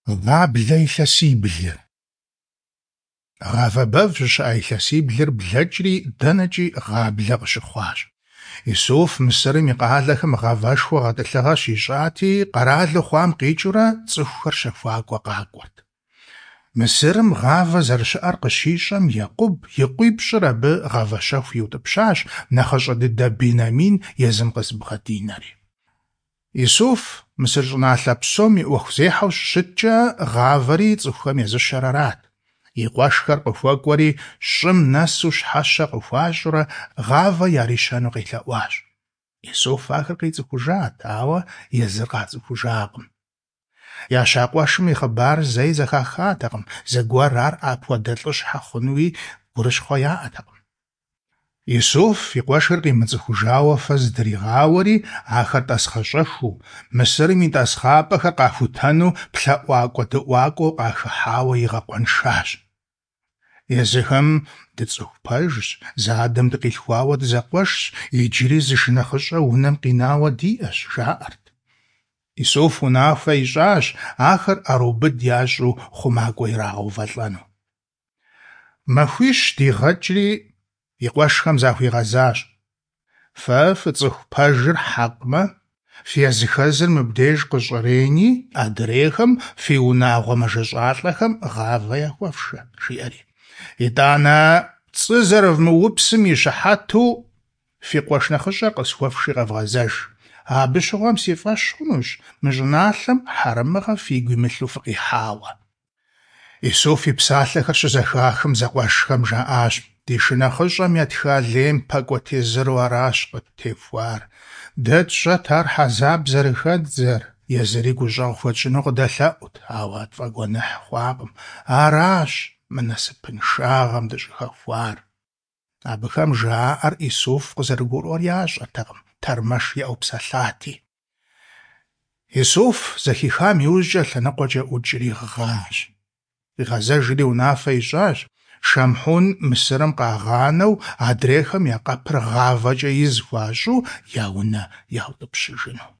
Гъаблэ илъэсиблыр. Гъавэ бэв щыщыӏа илъэсиблыр блэкӏри, дэнэкӏи гъаблэ къыщыхъуащ. Исуф Мысырым и къалэхэм гъавэшхуэ гъэтӏылъыгъэ щищӏати, къэралу хъуам къикӏыурэ цӏыхухэр щэхуакӏуэ къакӏуэрт. Мысырым гъавэ зэрыщыӏэр къыщищӏэм, Екъуб и къуипщӏыр абы гъавэщэху иутӏыпщащ, нэхъыщӏэ дыдэ Бенамин езым къызыбгъэдинэри. Исуф Мысыр щӏыналъэ псом и ӏуэхузехьэу щыщыткӏэ, гъавэри цӏыхухэм езыщэр арат. И къуэшхэр къыхуэкӏуэри, щӏым нэсу щхьэщэ къыхуащӏурэ гъавэ ярищэну къелъэӏуащ. Исуф ахэр къицӏыхужат, ауэ езыр къацӏыхужакъым. Яща къуэшым и хъыбар зэи зэхахатэкъым, зэгуэр ар апхуэдэ лӏыщхьэ хъунуи гурыщхъуэ яӏэтэкъым. Исуф и къуэшхэр къимыцӏыхужауэ фэ зытригъауэри, ахэр тӏасхъэщӏэхыу, Мысырым и тӏасхъапӏэхэр къахутэну плъэӏуакӏуэ-дыӏуакӏуэу къахыхьауэ игъэкъуэншащ. Езыхэм дыцӏыху пэжщ, зы адэм дыкъилъхуауэ дызэкъуэшщ, иджыри зы шынэхъыщӏэ унэм къинауэ диӏэщ, жаӏэрт. Исуф унафэ ищӏащ ахэр ӏэрыубыд ящӏу хъумакӏуэ ирагъэувэлӏэну. Махуищ дигъэкӏри, и къуэшхэм захуигъэзащ: Фэ фыцӏыху пэжыр хьэкъмэ, фи языхэзыр мыбдеж къыщӏрени, адрейхэм фи унагъуэ мэжэщӏалӏэхэм гъавэ яхуэфшэ, жиӏэри. Итӏанэ, пцӏы зэрывмыупсым и щыхьэту, фи къуэш нэхъыщӏэр къысхуэфши къэвгъэзэж. Абы щыгъуэм си фӏэщ хъунущ мы щӏыналъэм хьэрэмыгъэ фигу имылъу фыкъихьауэ. Исуф и псалъэхэр щызэхахым, зэкъуэшхэм жаӏащ: Ди шынэхъыщӏэм етха лейм пэкӏуэ тезыру аращ къыттехуар. Дэ тщӏэт ар хьэзаб зэрыхэддзэр, езыри гущӏэгъу хуэтщӏыну къыдэлъэӏут, ауэ тфӏэгуэныхь хъуакъым. Аращ мы насыпыншагъэм дыщӏыхэхуар. Абыхэм жаӏэр Исуф къызэрыгурыӏуэр ящӏэртэкъым, тэрмэш иӏэу псэлъати. Исуф зэхихам иужькӏэ лъэныкъуэкӏэ ӏукӏри гъащ. Къигъэзэжри унафэ ищӏащ, Шамхьун Мысырым къагъанэу, адрейхэм я къэпыр гъавэкӏэ из хуащӏу я унэ яутӏыпщыжыну.